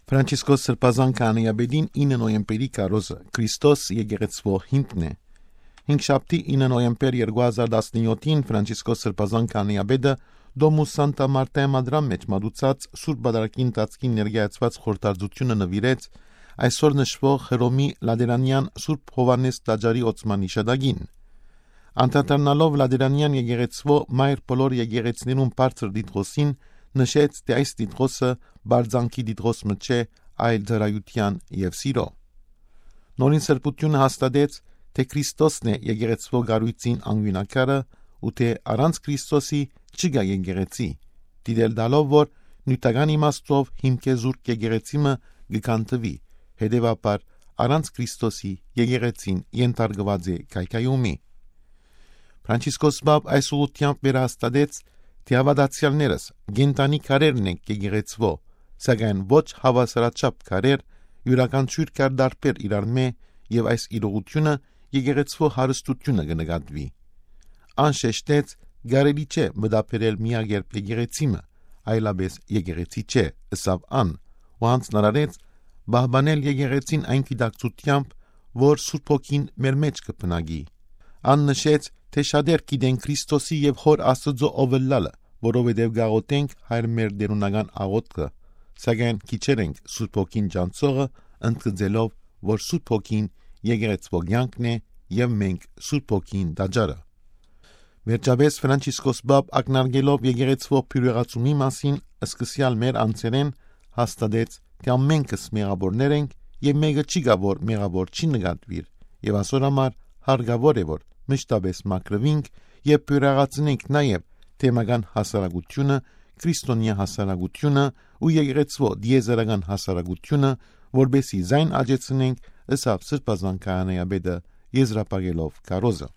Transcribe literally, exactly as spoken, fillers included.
Ֆրանցիսկոս Սրբազան քահանայապետին ինը նոյեմբերի քարոզը Քրիստոս եկեղեցւոյ հիմքն է։ Հինգշաբթի, ինը նոյեմբեր երկու հազար տասնյոթին, Ֆրանցիսկոս Սրբազան քահանայապետը Դոմուս Սանտա Մարտայա Մադրան մէջ մատուցած Սուրբ Պատարագի ընթացքին ներկայացուած խորհրդածութիւնը նուիրեց այսօր նշուող Հռոմի Լատերանեան Սուրբ Յովհաննէս Տաճարի օծման յիշատակին։ Անդրադառնալով Լատերանեան եկեղեցւոյ մայր բոլոր եկեղեցիներուն բարձր տիտղոսին, նշեց, թէ այս տիտղոսը պարծանքի տիտղոս մը չէ, այլ ծառայութեան եւ սիրոյ։ Նորին սրբութիւնը հաստատեց, թէ Քրիստոսն է եկեղեցւոյ կառոյցին անկիւնակարը ու թէ առանց Քրիստոսի չկայ եկեղեցի, դիտել տալով, որ նիւթական իմաստով հիմքէ զուրկ եկեղեցի մը կը քանդուի, հետեւաբար առանց Քրիստոսի եկեղեցին ենթարկուած է քայքայումի։ Ֆրանցիսկոս Պապ այս ուղղութեամբ վերահաստատեց, թէ հաւատացեալներս կենդանի քարերն ենք եկեղեցւոյ, սակայն ոչ հաւասարաչափ քարեր, իւրաքանչիւր քար տարբեր իրարմէ, եւ այս իրողութիւնը եկեղեցւոյ հարստութիւնը կը նկատուի։ Ան շեշտեց, կարելի չէ մտաբերել միակերպ եկեղեցի մը, այլապէս եկեղեցի չէ, ըսաւ ան, ու յանձնարարեց պահպանել եկեղեցին այն գիտակցութեամբ, որ Սուրբ Հոգին մեր մէջ կը բնակի։ Ան նշեց, թէ շատեր գիտենք Քրիստոսի եւ Հօր Աստուծոյ ով ըլլալը, որովհետեւ կ'աղօթենք Հայր մեր տէրունական աղօթքը, սակայն քիչեր ենք Սուրբ Հոգին ճանչցողը, ընդգծելով, որ Սուրբ Հոգին եկեղեցւոյ կեանքն է եւ մենք Սուրբ Հոգին տաճարը։ Վերջապէս Ֆրանցիսկոս Պապ ակնարկելով եկեղեցւոյ բիւրեղացումի մասին սկսեալ մեր անձերէն, հաստատեց, թէ ամենքս մեղաւորներ ենք եւ մէկը չի գայ, որ մեղաւոր չի նկատուիր, եւ ասոր համար հարկաւոր է, որ մշտապէս մաքրուինք եւ բիւրեղացնենք նաեւ թեմական հասարակութիւնը, քրիստոնեայ հասարակութիւնը ու եկեղեցւոյ տիեզերական հասարակութիւնը, որպէսզի զայն աճեցնենք, ըսաւ Սրբազան քահանայապետը, եզրափակելով քարոզը։